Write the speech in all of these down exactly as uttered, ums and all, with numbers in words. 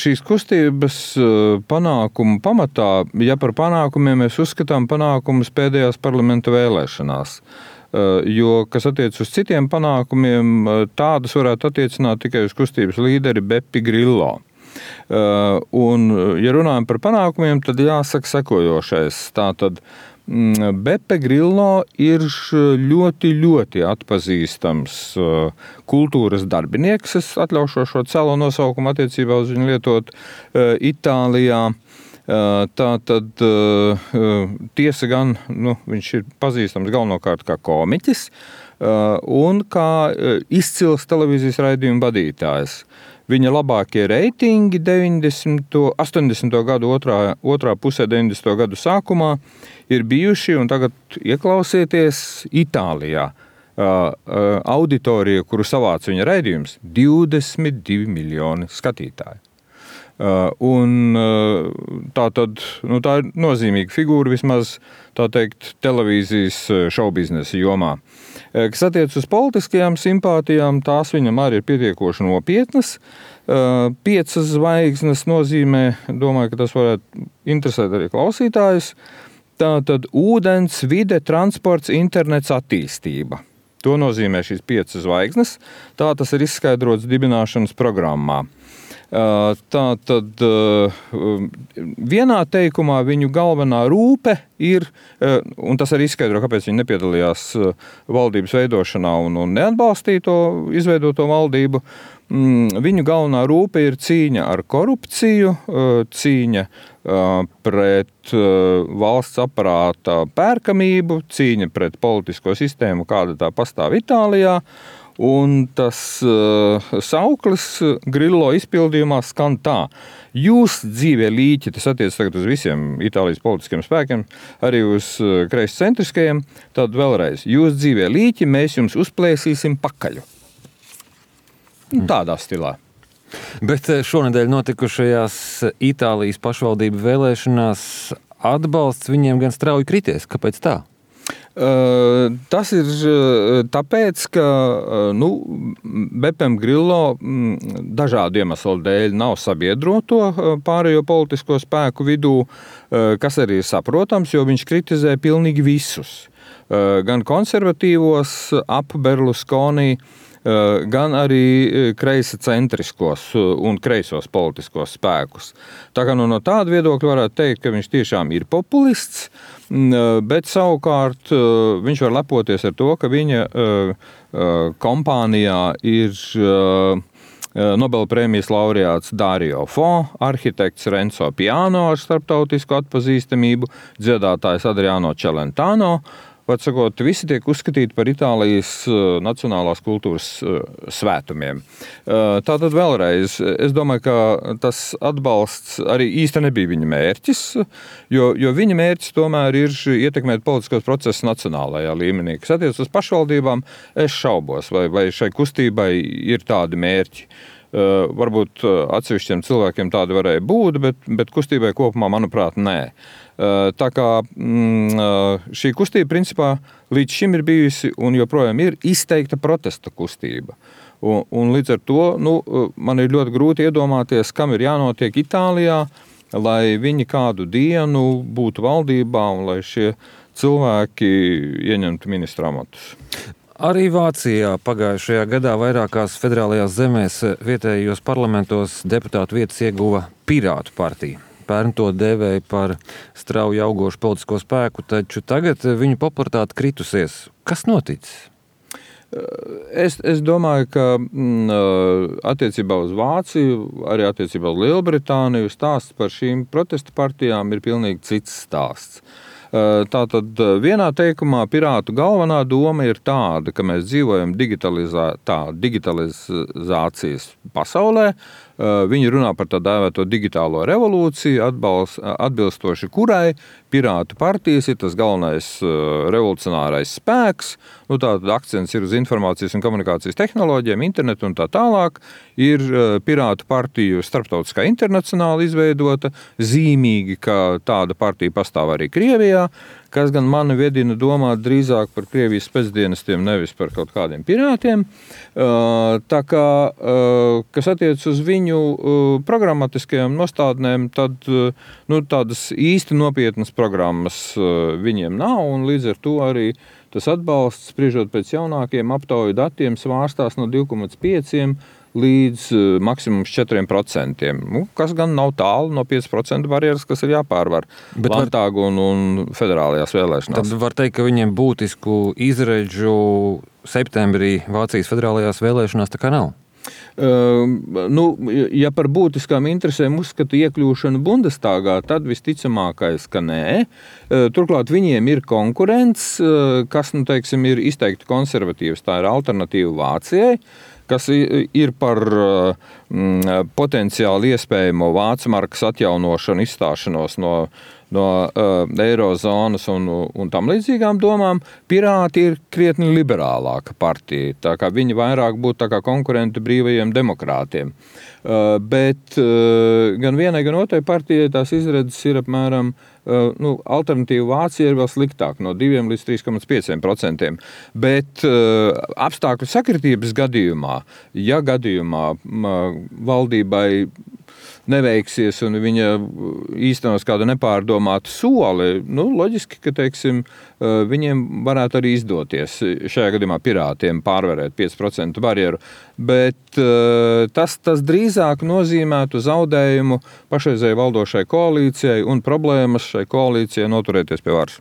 šīs kustības panākumu pamatā, ja par panākumiem mēs uzskatām panākumus pēdējās parlamenta vēlēšanās, jo, kas attiec uz citiem panākumiem, tādus varētu attiecināt tikai uz kustības līderi Bepi Grillo. Un, ja runājam par panākumiem, tad jāsaka sekojošais. Tātad Bepe Grillo ir ļoti, ļoti atpazīstams kultūras darbinieks. Es atļaušu šo celo nosaukumu attiecībā uz viņu lietot Itālijā. Tā tad tiesa gan, nu, viņš ir pazīstams galvenokārt kā komiķis un kā izcils televīzijas raidījumu vadītājs. Viņa labākie reitingi deviņdesmito, astoņdesmito gadu otrā, otrā pusē deviņdesmito gadu sākumā ir bijuši, un tagad ieklausieties, Itālijā. Auditorija, kuru savāca viņa raidījums, divdesmit divi miljoni skatītāji. Un tā tad, nu, tā ir nozīmīga figūra vismaz, tā teikt, televīzijas šaubiznesa jomā. Kas attiec uz politiskajām simpātijām, tās viņam arī ir pietiekoši nopietnas. Piecas zvaigznes nozīmē, domāju, ka tas varētu interesēt arī klausītājus. Tātad ūdens, vide, transports, internets, attīstība. To nozīmē šīs piecas zvaigznes. Tā tas ir izskaidrots dibināšanas programmā. Tā tad vienā teikumā viņu galvenā rūpe ir, un tas arī izskaidro, kāpēc viņi nepiedalījās valdības veidošanā un, un neatbalstīja to izveidoto valdību, viņu galvenā rūpe ir cīņa ar korupciju, cīņa pret valsts aparāta pērkamību, cīņa pret politisko sistēmu, kāda tā pastāv Itālijā. Un tas uh, sauklis Grillo izpildījumā skan tā. Jūs dzīvie līķi, tas attiec tagad uz visiem Itālijas politiskiem spēkiem, arī uz uh, kreiscentriskajiem, tad vēlreiz. Jūs dzīvie līķi, mēs jums uzplēsīsim pakaļu. Tādā stilā. Bet šonedēļ notikušajās Itālijas pašvaldību vēlēšanās atbalsts viņiem gan strauji krities. Kāpēc tā? Uh, tas ir tāpēc, ka nu, Bepem Grillo m, dažādu iemeslu dēļ nav sabiedroto pārējo politisko spēku vidū, uh, kas arī ir saprotams, jo viņš kritizē pilnīgi visus. Uh, gan konservatīvos ap Berlusconi, uh, gan arī kreisa centriskos un kreisos politiskos spēkus. Tā kā nu, no tāda viedokļa varētu teikt, ka viņš tiešām ir populists, bet savukārt viņš var lepoties ar to, ka viņa kompānijā ir Nobela prēmijas laureāts Dario Fo, arhitekts Renzo Piano ar starptautisku atpazīstamību, dziedātājs Adriano Celentano. Var sakot, visi tiek uzskatīti par Itālijas nacionālās kultūras svētumiem. Tātad vēlreiz, es domāju, ka tas atbalsts arī īsti nebija viņa mērķis, jo, jo viņa mērķis tomēr ir ietekmēt politiskos procesus nacionālajā līmenī. Kas attiec uz pašvaldībām, es šaubos, vai, vai šai kustībai ir tādi mērķi. Uh, varbūt uh, atsevišķiem cilvēkiem tādi varēja būt, bet, bet kustībai kopumā, manuprāt, nē. Uh, tā kā mm, uh, šī kustība, principā, līdz šim ir bijusi un joprojām ir izteikta protesta kustība. Un, un līdz ar to, nu, man ir ļoti grūti iedomāties, kam ir jānotiek Itālijā, lai viņi kādu dienu būtu valdībā un lai šie cilvēki ieņemtu ministra amatus. Arī Vācijā pagājušajā gadā vairākās federālajās zemēs vietējos parlamentos deputātu vietas ieguva Pirātu partija. Pērn to dēvēja par strauji augošu politisko spēku, taču tagad viņu popularitāte kritusies. Kas noticis? Es, es domāju, ka m, attiecībā uz Vāciju, arī attiecībā uz Lielbritāniju stāsts par šīm protesta partijām ir pilnīgi cits stāsts. Tātad vienā teikumā Pirātu galvenā doma ir tāda, ka mēs dzīvojam digitalizētā, digitalizācijas pasaulē. Viņi runā par tā dēvēto digitālo revolūciju, atbalst, atbilstoši kurai Pirātu partijas ir tas galvenais revolucionārais spēks. Nu, tātad akcents ir uz informācijas un komunikācijas tehnoloģijām, internetu un tā tālāk. Ir Pirātu partiju starptautiskā internacionāli izveidota, zīmīgi, ka tāda partija pastāv arī Krievijā. kas gan mani vedina domāt drīzāk par Krievijas spēcdienestiem, nevis par kaut kādiem pirātiem. Tā kā, kas attiec uz viņu programmatiskajām nostādnēm, tad nu, tādas īsti nopietnas programmas viņiem nav, un līdz ar to arī tas atbalsts, spriežot pēc jaunākiem aptauju datiem, svārstās no divi komats pieci līdz uh, maksimums četri procenti. Nu, kas gan nav tālu no pieci procenti barjeras, kas ir jāpārvar Landtāgu un, un federālajās vēlēšanās. Tad var teikt, ka viņiem būtisku izredžu septembrī Vācijas federālajās vēlēšanās tā kā nav? Uh, nu, ja par būtiskām interesēm uzskata iekļūšanu Bundestāgā, tad visticamākais, ka nē. Uh, turklāt viņiem ir konkurents, uh, kas, nu, teiksim, ir izteikti konservatīvs. Tā ir alternatīva Vācijai, kas ir par mm, potenciāli iespējamo vācu markas atjaunošanu, izstāšanos no, no uh, eirozonas un, un tam līdzīgām domām. Pirāti ir krietni liberālāka partija, tā kā viņi vairāk būtu tā kā konkurenti brīvajiem demokrātiem. Uh, bet uh, gan vienai, gan otrai partijai tās izredzes ir apmēram Uh, nu, alternatīva Vācija ir vēl sliktāk, no divi līdz trīs komats pieci procenti. Bet uh, apstākļu sakritības gadījumā, ja gadījumā uh, valdībai neveiksies un viņa īstenos kādu nepārdomātu soli, nu, loģiski, ka, teiksim, uh, viņiem varētu arī izdoties šajā gadījumā pirātiem pārvarēt pieci procenti barjeru. Bet uh, tas, tas drīzāk nozīmētu zaudējumu pašreizēji valdošai koalīcijai un problēmas šai koalīcijai noturēties pie varas.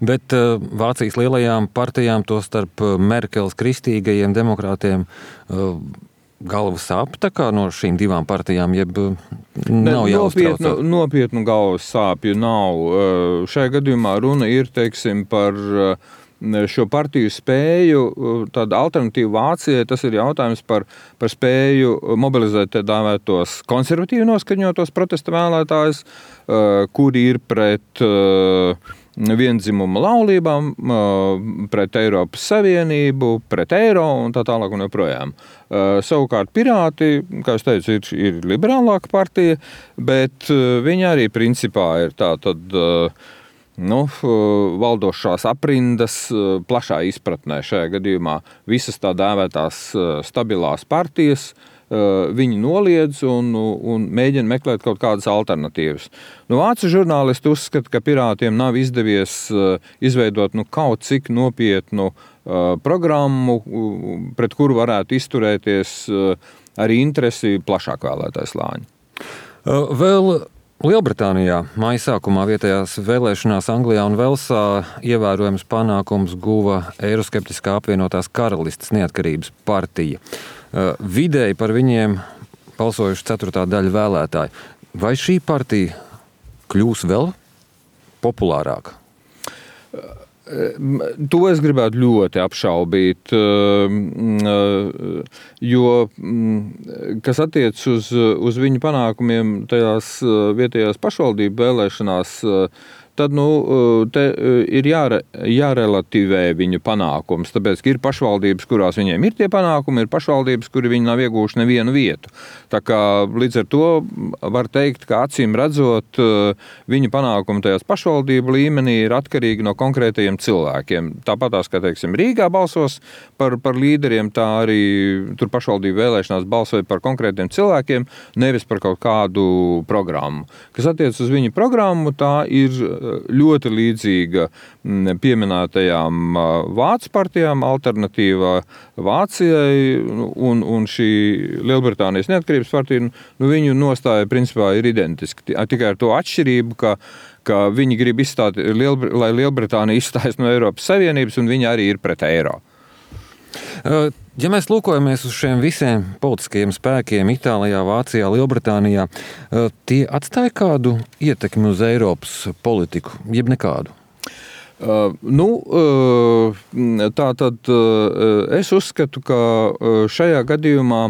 Bet uh, Vācijas lielajām partijām, to starp Merkeles kristīgajiem demokrātiem, uh, galva sāp tā kā no šīm divām partijām, jeb nav jāuztraucās? Nopietnu, nopietnu galvas sāpju nav. Uh, šajā gadījumā runa ir, teiksim, par uh, šo partiju spēju, tāda alternatīva Vācijai, tas ir jautājums par, par spēju mobilizēt tā dāvētos konservatīvi noskaņotos protesta vēlētājus, kuri ir pret viendzimuma laulībām, pret Eiropas Savienību, pret eiro un tā tālāk un joprojām. Savukārt pirāti, kā es teicu, ir, ir liberālāka partija, bet viņi arī principā ir tā tad nu, valdošās aprindas plašā izpratnē šajā gadījumā visas tā dēvētās stabilās partijas, viņi noliedz un, un mēģina meklēt kaut kādas alternatīvas. Nu, vācu žurnālisti uzskata, ka pirātiem nav izdevies izveidot nu, kaut cik nopietnu programmu, pret kuru varētu izturēties arī interesi plašāk vēlētāju slāņu. Vēl Lielbritānijā māja sākumā vietējās vēlēšanās Anglijā un Velsā ievērojams panākums guva eiroskeptiskā apvienotās karalistes neatkarības partija. Vidēji par viņiem balsojuši ceturtā daļa vēlētāji. Vai šī partija kļūs vēl populārāka? To es gribētu ļoti apšaubīt, jo, kas attiec uz, uz viņu panākumiem tajās vietējās pašvaldību vēlēšanās, tad nu, te ir jāre, jārelativē viņu panākums, tāpēc, ka ir pašvaldības, kurās viņiem ir tie panākumi, ir pašvaldības, kuri viņi nav iegūši nevienu vietu. Tā kā līdz ar to var teikt, ka acīm redzot, viņu panākumi tajās pašvaldību līmenī ir atkarīgi no konkrētajiem cilvēkiem. Tāpatās, kā teiksim, Rīgā balsos par, par līderiem, tā arī tur pašvaldību vēlēšanās balsoja par konkrētiem cilvēkiem, nevis par kaut kādu programmu. Kas attiec uz viņu programmu, tā ir ļoti līdzīga pieminētajām vācu partijām, alternatīva Vācijai un, un šī Lielbritānijas neatkarības partija, nu, viņu nostāja principā ir identiski. Tikai ar to atšķirību, ka, ka viņi grib izstāt, Lielbr- lai Lielbritānija izstājas no Eiropas Savienības un viņi arī ir pret eiro. Ja mēs lūkojamies uz šiem visiem politiskajiem spēkiem Itālijā, Vācijā, Lielbritānijā, tie atstāja kādu ietekmi uz Eiropas politiku, jeb nekādu? Uh, nu, uh, tā tad uh, es uzskatu, ka šajā gadījumā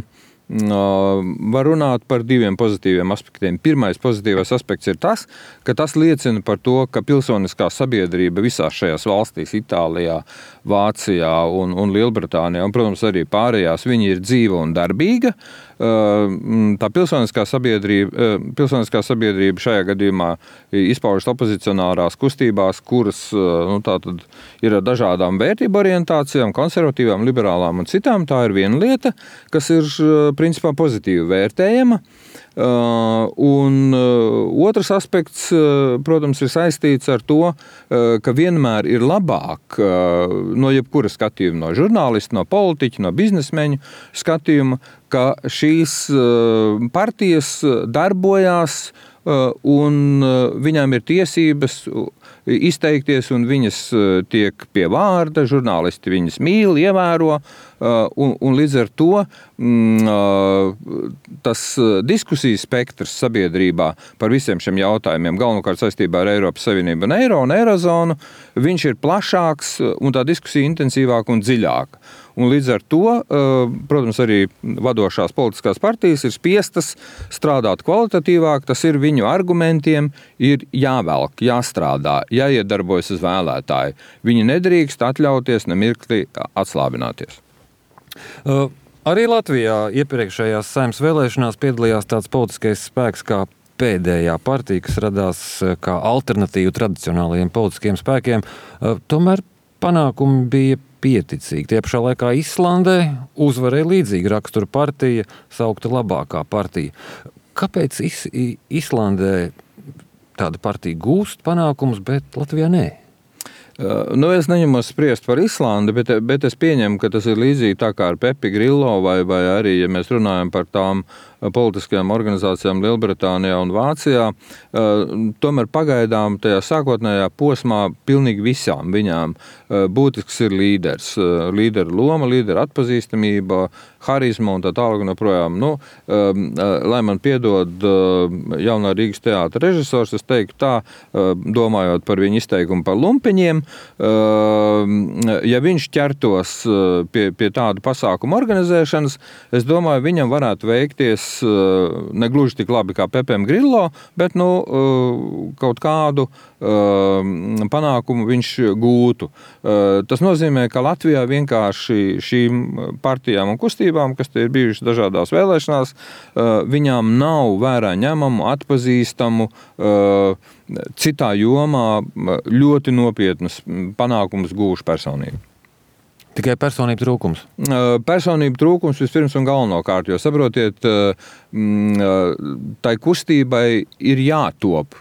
var runāt par diviem pozitīviem aspektiem. Pirmais pozitīvais aspekts ir tas, ka tas liecina par to, ka pilsoniskā sabiedrība visās šajās valstīs, Itālijā, Vācijā un, un Lielbritānijā, un, protams, arī pārējās, viņi ir dzīva un darbīga. tā pilsoniskā sabiedrība, pilsoniskā sabiedrība šajā gadījumā izpaužas opozicionārās kustībās, kuras nu, tātad ir ar dažādām vērtību orientācijām, konservatīvām, liberālām un citām. Tā ir viena lieta, kas ir principā pozitīvi vērtējama. Uh, un uh, otrs aspekts, uh, protams, ir saistīts ar to, uh, ka vienmēr ir labāk uh, no jebkura skatījuma, no žurnālista, no politiķa, no biznesmeņu skatījuma, ka šīs uh, partijas darbojās uh, un uh, viņām ir tiesības izteikties, un viņas tiek pie vārda, žurnālisti viņas mīl, ievēro, un, un līdz ar to tas diskusijas spektrs sabiedrībā par visiem šiem jautājumiem, galvenokārt saistībā ar Eiropas Savienību un Eiro un Eirozonu, viņš ir plašāks un tā diskusija intensīvāka un dziļāka. Un līdz ar to, protams, arī vadošās politiskās partijas ir spiestas strādāt kvalitatīvāk, tas ir viņu argumentiem, ir jāvelk, jāstrādā, jāiedarbojas uz vēlētāju. Viņi nedrīkst atļauties nemirkli atslābināties. Uh, arī Latvijā iepriekšējās Saeimas vēlēšanās piedalījās tāds politiskais spēks kā pēdējā partija, kas radās kā alternatīva tradicionālajiem politiskiem spēkiem. Uh, tomēr panākumi bija pieticīgi. Tie pašā laikā Islandē uzvarēja līdzīga rakstura partija, saukta labākā partija. Kāpēc Is Islandē tāda partija gūst panākumus, bet Latvijā nē? Nu, es neņemos spriest par Islandi, bet, bet es pieņemu, ka tas ir līdzīgi tā kā ar Pepi Grillo vai, vai arī, ja mēs runājam par tām politiskajām organizācijām Lielbritānijā un Vācijā, tomēr pagaidām tajā sākotnējā posmā pilnīgi visām viņām būtisks ir līderis. Līdera loma, līdera atpazīstamība, harizma un tā tālāk un joprojām. Nu, lai man piedod jaunā Rīgas teātra režisors, es teiktu tā, domājot par viņu izteikumu par lumpiņiem, ja viņš ķertos pie, pie tādu pasākumu organizēšanas, es domāju, viņam varētu veikties ne gluži tik labi kā Pepem Grillo, bet nu, kaut kādu panākumu viņš gūtu. Tas nozīmē, ka Latvijā vienkārši šīm partijām un kustībām, kas te ir bijušas dažādās vēlēšanās, viņām nav vērā ņemamu, atpazīstamu, citā jomā ļoti nopietnas panākumus gūšu personību. Tikai personību trūkums? Personību trūkums vispirms un galvenokārt, jo saprotiet, tai kustībai ir jātop.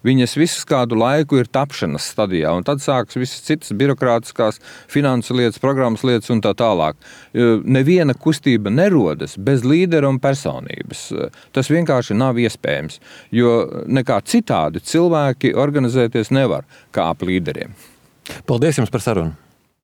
Viņas visas kādu laiku ir tapšanas stadijā, un tad sākas visas citas birokrātiskās finansu lietas, programmas lietas un tā tālāk. Neviena kustība nerodas bez līdera un personības. Tas vienkārši nav iespējams, jo nekā citādi cilvēki organizēties nevar kā ap līderiem. Paldies jums par sarunu!